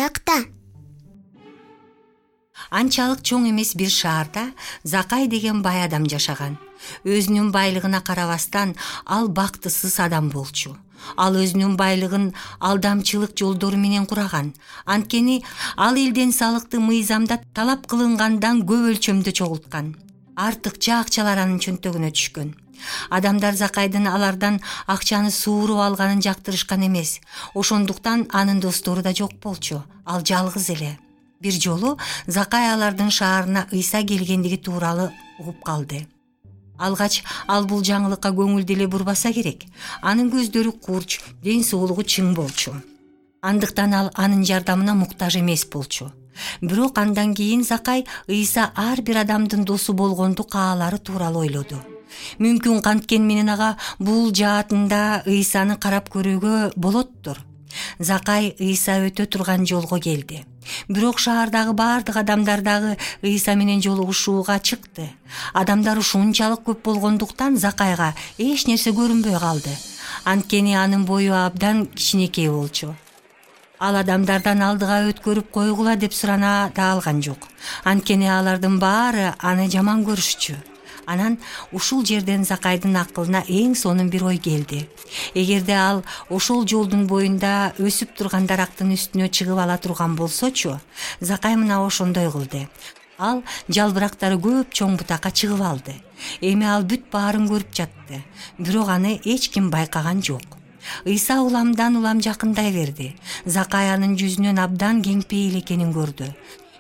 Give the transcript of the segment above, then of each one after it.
жакшыраак да. Анчалык чоң эмес бир шаарда Закай деген бай адам жашаган. Өзүнүн байлыгына карабастан ал бактысыз адам болчу. Ал өзүнүн байлыгын алдамчылык жолдору менен кураган. Анткени ал элден салыкты мыйзамда талап кылынгандан көп өлчөмдө чогулткан. Артыкча акчалар анын чөнтөгүнө түшкөн. Адамдар Закайдын алардан акчаны сууруп алганын жактырышкан эмес. Ошондуктан анын достору да жок болчу. Ал жалгыз эле. Бир жолу Закай алардын шаарына Ыйса келгендиги тууралуу угуп калды. Алгач ал бул жаңылыкка көңүл деле бурбаса керек. Анын көздөрү курч, ден соолугу чың болчу. Андыктан ал анын жардамына муктаж эмес болчу. Бирок андан кийин Закай Ыйса ар бир адамдын досу болгонду каалары тууралуу ойлоду. Мүмкүн канткен менен ага бул жаатында Ыйсаны карап көрүүгө болоттур. Закай Ыйса өтө турган жолго келди. Бирок шаардагы бардык адамдар дагы Ыйса менен жолугушууга чыкты. Адамдар ушунчалык көп болгондуктан Закайга эч нерсе көрүнбөй калды. Анткени анын бою абдан кичинекей болчу. Ал адамдардан алдыга өткөрүп койгула деп сурана да алган жок. Анткени алардын баары аны жаман көрүшчү. Анан ушул жерден Закайдын акылына эң сонун бир ой келди. Эгерде ал ошол жолдун боюнда өсүп турган дарактын үстүнө чыгып ала турган болсочу, Закай мына ошондой кылды. Ал жалбырактары көп чоң бутакка чыгып алды. Эми ал бүт баарын көрүп жатты. Бирок аны эч ким байкаган жок. Ыйса уламдан улам жакындай берди. Закай анын жүзүнөн абдан кеңпейил экенин көрдү.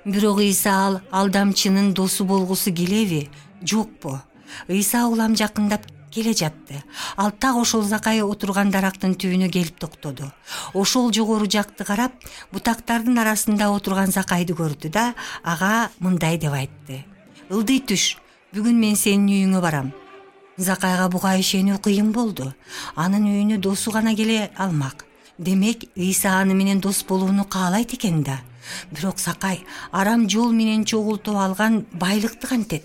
Бирок Ыйса ал алдамчынын досу болгусу келеби? Жокпу? Ыйса улам жакындап келе жатты. Ал так ошол Закай отурган дарактын түбүнө келип токтоду. Ошол жогору жакты карап, бутактардын арасында отурган Закайды көрдү да ага мындай деп айтты: "Ылдый түш, бүгүн мен сенин үйүңө барам." Закайга буга ишенүү кыйын болду. Анын үйүнө досу гана келе алмак. Демек, Ыйса аны менен дос болууну каалайт экен да. Бирок Закай арам жол менен чогултуп алган байлыкты кантет?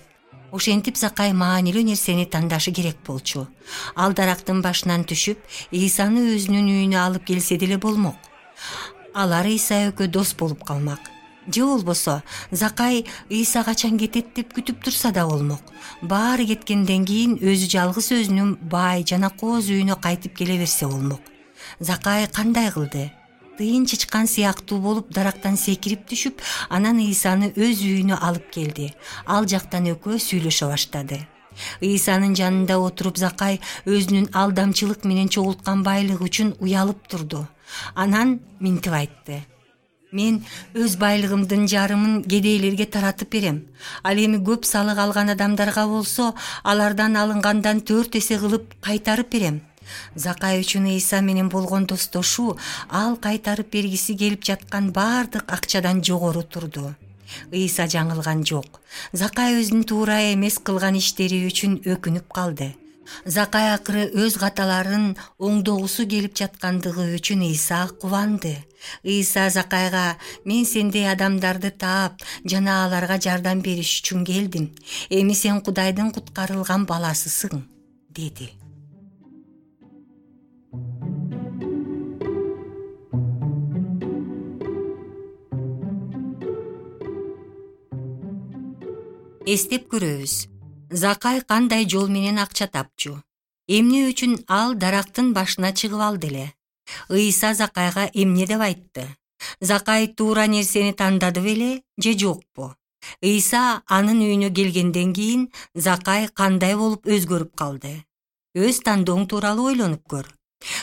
Ошентип Закай маанилүү нерсени тандашы керек болчу. Ал дарактын башынан түшүп, Ыйсаны өзүнүн үйүнө алып келсе деле болмок. Алар Ыйса экөө дос болуп калмак. Же болбосо Закай Ыйса качан кетет деп күтүп турса да болмок. Баары кеткенден кийин өзү жалгыз өзүнүн бай жана кооз үйүнө кайтып келе берсе болмок. Закай кандай кылды? Тыйын чычкан сыяктуу болуп дарактан секирип түшүп, анан Ыйсаны өз үйүнө алып келди. Ал жактан экөө сүйлөшө баштады. Ыйсанын жанында отуруп Закай өзүнүн алдамчылык менен чогулткан байлыгы үчүн уялып турду. Анан минтип айтты: "Мен өз байлыгымдын жарымын кедейлерге таратып берем. Ал эми көп салык алган адамдарга болсо, алардан алынгандан 4 эсе кылып кайтарып берем." Закай үчүн Ыйса менен болгон достошуу ал кайтарып бергиси келип жаткан бардык акчадан жогору турду. Ыйса жаңылган жок. Закай өзүнүн туура эмес кылган иштери үчүн өкүнүп калды. Закай акыры өз каталарын оңдогусу келип жаткандыгы үчүн Ыйса кубанды. Ыйса Закайга: "Мен сендей адамдарды таап жана аларга жардам бериш үчүн келдим. Эми сен Кудайдын куткарылган баласысың", деди. Эстеп көрөбүз. Закай кандай жол менен акча тапчу? Эмне үчүн ал дарактын башына чыгып алды эле? Ыйса Закайга эмне деп айтты? Закай туура нерсени тандады беле же жокпу? Ыйса анын үйүнө келгенден кийин Закай кандай болуп өзгөрүп калды? Өз тандооң тууралуу ойлонуп көр.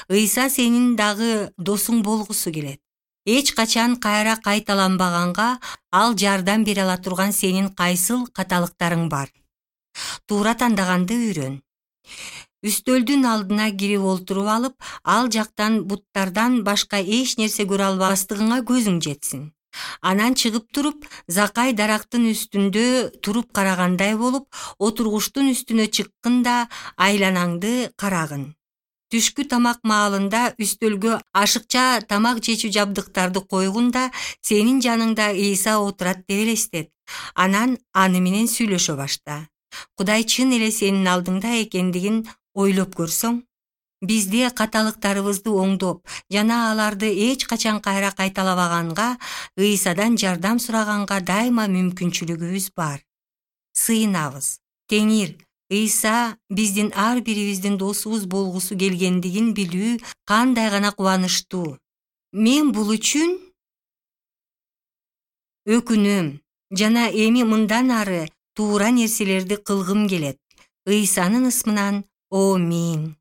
Ыйса сенин дагы досуң болгусу келет. Эч качан кайра кайталанбаганга ал жардам бере ала турган сенин кайсыл каталыктарың бар? Туура тандаганды үйрөн. Үстөлдүн алдына кирип олтуруп алып, ал жактан буттардан башка эч нерсе көрө албастыгыңа көзүң жетсин. Анан чыгып туруп, Закай дарактын үстүндө туруп карагандай болуп, отургучтун үстүнө чыккын да айланаңды карагын. Түшкү тамак маалында үстөлгө ашыкча тамак жечүү жабдыктарды койгун да сенин жаныңда Ыйса отурат деп элестет. Анан аны менен сүйлөшө башта. Кудай чын эле сенин алдыңда экендигин ойлоп көрсөң. бизде каталыктарыбызды оңдоп жана аларды эч качан кайра кайталабаганга, Ыйсадан жардам сураганга дайыма мүмкүнчүлүгүбүз бар. Сыйынабыз. Теңир Ыйса биздин ар бирибиздин досубуз болгусу келгендигин билүү кандай гана кубанычтуу. Мен бул үчүн өкүнөм жана эми мындан ары туура нерселерди кылгым келет. Ыйсанын ысмынан. Аминь.